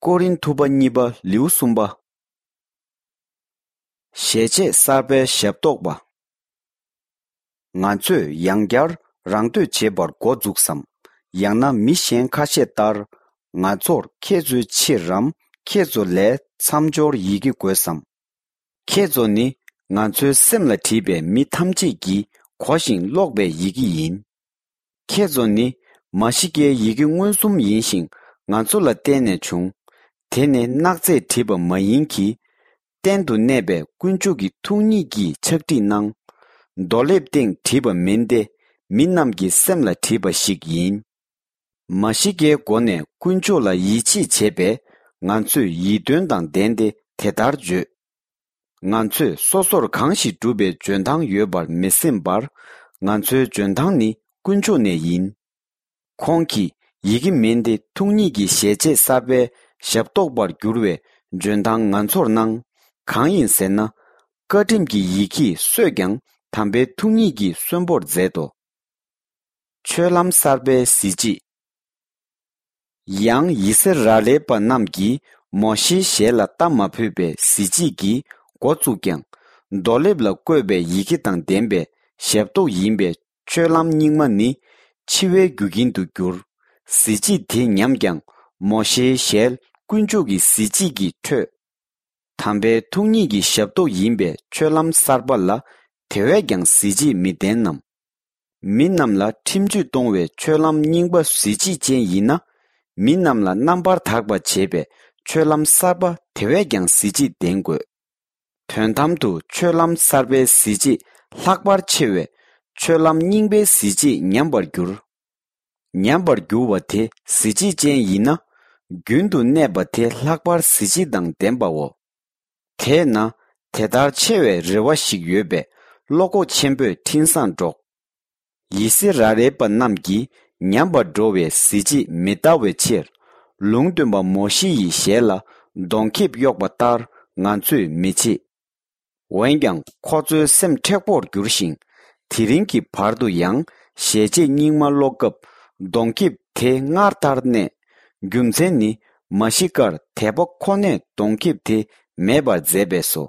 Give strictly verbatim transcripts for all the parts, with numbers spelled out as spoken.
ཀོ་རིན་ཐུ་པ་གཉིས་པ་ལེའུ་གསུམ་པ། ཞལ་ཆད་གསར་པའི་ཞབས་ཏོག་པ། ང་ཚོས་ཡང་བསྐྱར་རང་བསྟོད་བྱེད་པར་འགོ་འཛུགས་སམ། ཡང་ན་མི་གཞན་ཁ་ཤས་ལྟར་ང་ཚོར་ཁྱེད་ཚོའི་ཕྱིར་རམ་ཁྱེད་ཚོ་ལས་མཚམས་སྦྱོར་ཡི་གེ་དགོས་སམ། ཁྱེད་ཚོ་ནི་ང་ཚོའི་སེམས་ལ་བྲིས་པའི་མི་ཐམས་ཅད་ཀྱིས་གོ་ཞིང་ཀློག་པའི་ཡི་གེ་ཡིན། ཁྱེད་ཚོ་ནི་མ་ཤི་ཀའི་ཡི་གེ་མངོན་སུམ་ཡིན་ཞིང་ང་ཚོ་ལ་བརྟེན་ནས་བྱུང་། དེ་ནི་སྣག་ཚས་བྲིས་པ་མ་ཡིན་གྱི། གཏན་དུ་གནས་པའི་དཀོན་མཆོག་གི་ཐུགས་ཉིད་ཀྱིས་ཕྱག་བྲིས་གནང་། རྡོ་ལེབ་སྟེང་བྲིས་པ་མིན་ཏེ། མི་རྣམས་ཀྱི་སེམས་ལ་བྲིས་པ་ཞིག་ཡིན། མ་ཤི་ཀའི་སྒོ་ནས་དཀོན་མཆོག་ལ་ཡིད་ཆེས་བྱས་པས། ང་ཚོས་ཡིད་རྟོན་དང་ལྡན་ཏེ་དེ་ལྟར་བརྗོད། ང་ཚོས་སོ་སོར་གང་ཞིག་བསྒྲུབས་པའི་འཇོན་ཐང་ཡོད་པར་མི་སེམས་པར། ང་ཚོའི་འཇོན་ཐང་ནི་དཀོན་མཆོག་ནས་ཡིན། ཁོང་གིས་ཡི་གེ་མིན་ཏེ་ཐུགས་ཉིད་ཀྱི་ཞལ་ཆད་གསར་པའི་ཞབས་ཏོག་པར་འགྱུར་བའི་འཇོན་ཐང་ང་ཚོར་གནང་། གང་ཡིན་ཟེར་ན། བཀའ་ཁྲིམས་ཀྱི་ཡིད་ཀྱིས་གསོད་ཀྱང་དམ་པའི་ཐུགས་ཉིད་ཀྱིས་གསོན་པོར་མཛད་དོ། ཆོས་ལམ་གསར་པའི་གཟི་བརྗིད། ཡང་ཡི་སི་ར་ཨེལ་པ་རྣམས་ཀྱིས་མོ་ཤེའི་ཞལ་ལ་ལྟ་མ་ཕོད་པའི་གཟི་བརྗིད་ཀྱིས་འགོ་བཙུགས་ཀྱང་། རྡོ་ལེབ་ལ་བརྐོས་པའི་ཡི་གེ་དང་ལྡན་པའི་ཞབས་ཏོག་ཡིན་པས། ཆོས་ལམ་རྙིང་མ་ནི་འཆི་བའི་རྒྱུ་རྐྱེན་དུ་གྱུར། གཟི་བརྗིད་དེ་ཉམས་ཀྱང་མོ་ཤེའི་ཞལ་དཀོན་མཆོག་གི་གཟི་བརྗིད་ཀྱིས་འཕྲོས། དམ་པའི་ཐུགས་ཉིད་ཀྱི་ཞབས་ཏོག་ཡིན་པའི་ཆོས་ལམ་གསར་པ་ལ་དེ་བས་ཀྱང་གཟི་བརྗིད་མི་ལྡན་ནམ། མི་རྣམས་ལ་ཁྲིམས་གཅོད་གཏོང་བའི་ཆོས་ལམ་རྙིང་པ་གཟི་བརྗིད་ཅན་ཡིན་ན། མི་རྣམས་ལ་རྣམ་པར་དག་པ་བྱེད་པའི་ཆོས་ལམ་གསར་པ་དེ་བས་ཀྱང་གཟི་བརྗིད་ལྡན་དགོས། དོན་དམ་དུ་ཆོས་ལམ་གསར་པའི་གཟི་བརྗིད་ལྷག་པར་ཆེ་བས། ཆོས་ལམ་རྙིང་པའི་གཟི་བརྗིད་ཉམས་པར་འགྱུར། ཉམས་པར་འགྱུར་བ་དེ་གཟི་བརྗིད་ཅན་ཡིན་ན། རྒྱུན་དུ་གནས་པ་དེ་ལྷག་པར་གཟི་བརྗིད་དང་ལྡན་པའོ། དེས་ན་དེ་ལྟར་ཆེ་བའི་རེ་བ་ཞིག་ཡོད་པས། བློ་ཁོག་ཆེན་པོས་འཕྲིན་བཟང་སྒྲོགས། ཡི་སི་ར་ཨེལ་པ་རྣམས་ཀྱིས་ཉམས་པར་འགྲོ་བའི་གཟི་བརྗིད་མི་ལྟ་བའི་ཕྱིར། ལུང་སྟོན་པ་མོ་ཤེ་ཡི་ཞལ་ལ་གདོང་ཁེབས་གཡོགས་པ་ལྟར་ང་ཚོས་མི་བྱེད། འོན་ཀྱང་ཁོ་ཚོའི་སེམས་མཁྲེགས་པོར་གྱུར་ཞིང་། དེ་རིང་གི་བར་དུ་ཡང་ཞལ་ཆད་རྙིང་མ་ཀློག་སྐབས་གདོང་ཁེབས་དེ་སྔར་ལྟར་གནས། རྒྱུ་མཚན་ནི་མ་ཤི་ཀར་དད་པ་ཁོ་ནས་གདོང་ཁེབས་དེ་མེད་པར་མཛད་པས་སོ།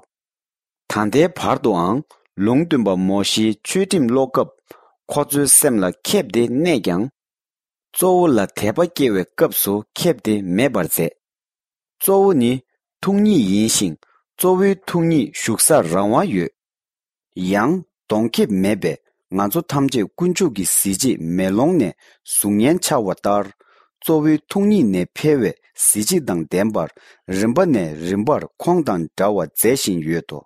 ད་ལྟའི་བར་དུའང་ལུང་སྟོན་པ་མོ་ཤེའི་ཆོས་ཁྲིམས་ཀློག་སྐབས་ཁོ་ཚོའི་སེམས་ལ་ཁེབས་དེ་གནས་ཀྱང་། གཙོ་བོ་ལ་དད་པ་སྐྱེ་བའི་སྐབས་སུ་ཁེབས་དེ་མེད་པར་མཛད། གཙོ་བོ་ནི་ཐུགས་ཉིད་ཡིན་ཞིང་། གཙོ་བོའི་ཐུགས་ཉིད་བཞུགས་སར་རང་དབང་ཡོད། ཡང་གདོང་ཁེབས་མེད་པས་ང་ཚོ་ཐམས་ཅད་དཀོན་མཆོག་གི་གཟི་བརྗིད་མེ་ལོང་ནས་གཟུགས་བརྙན་འཆར་བ་ལྟར། གཙོ་བོའི་ཐུགས་ཉིད་ནས་འཕེལ་བའི་གཟི་བརྗིད་དང་ལྡན་པར་རིམ་པ་ནས་རིམ་པར་ཁོང་དང་འདྲ་བར་མཛད་བཞིན་ཡོད་དོ།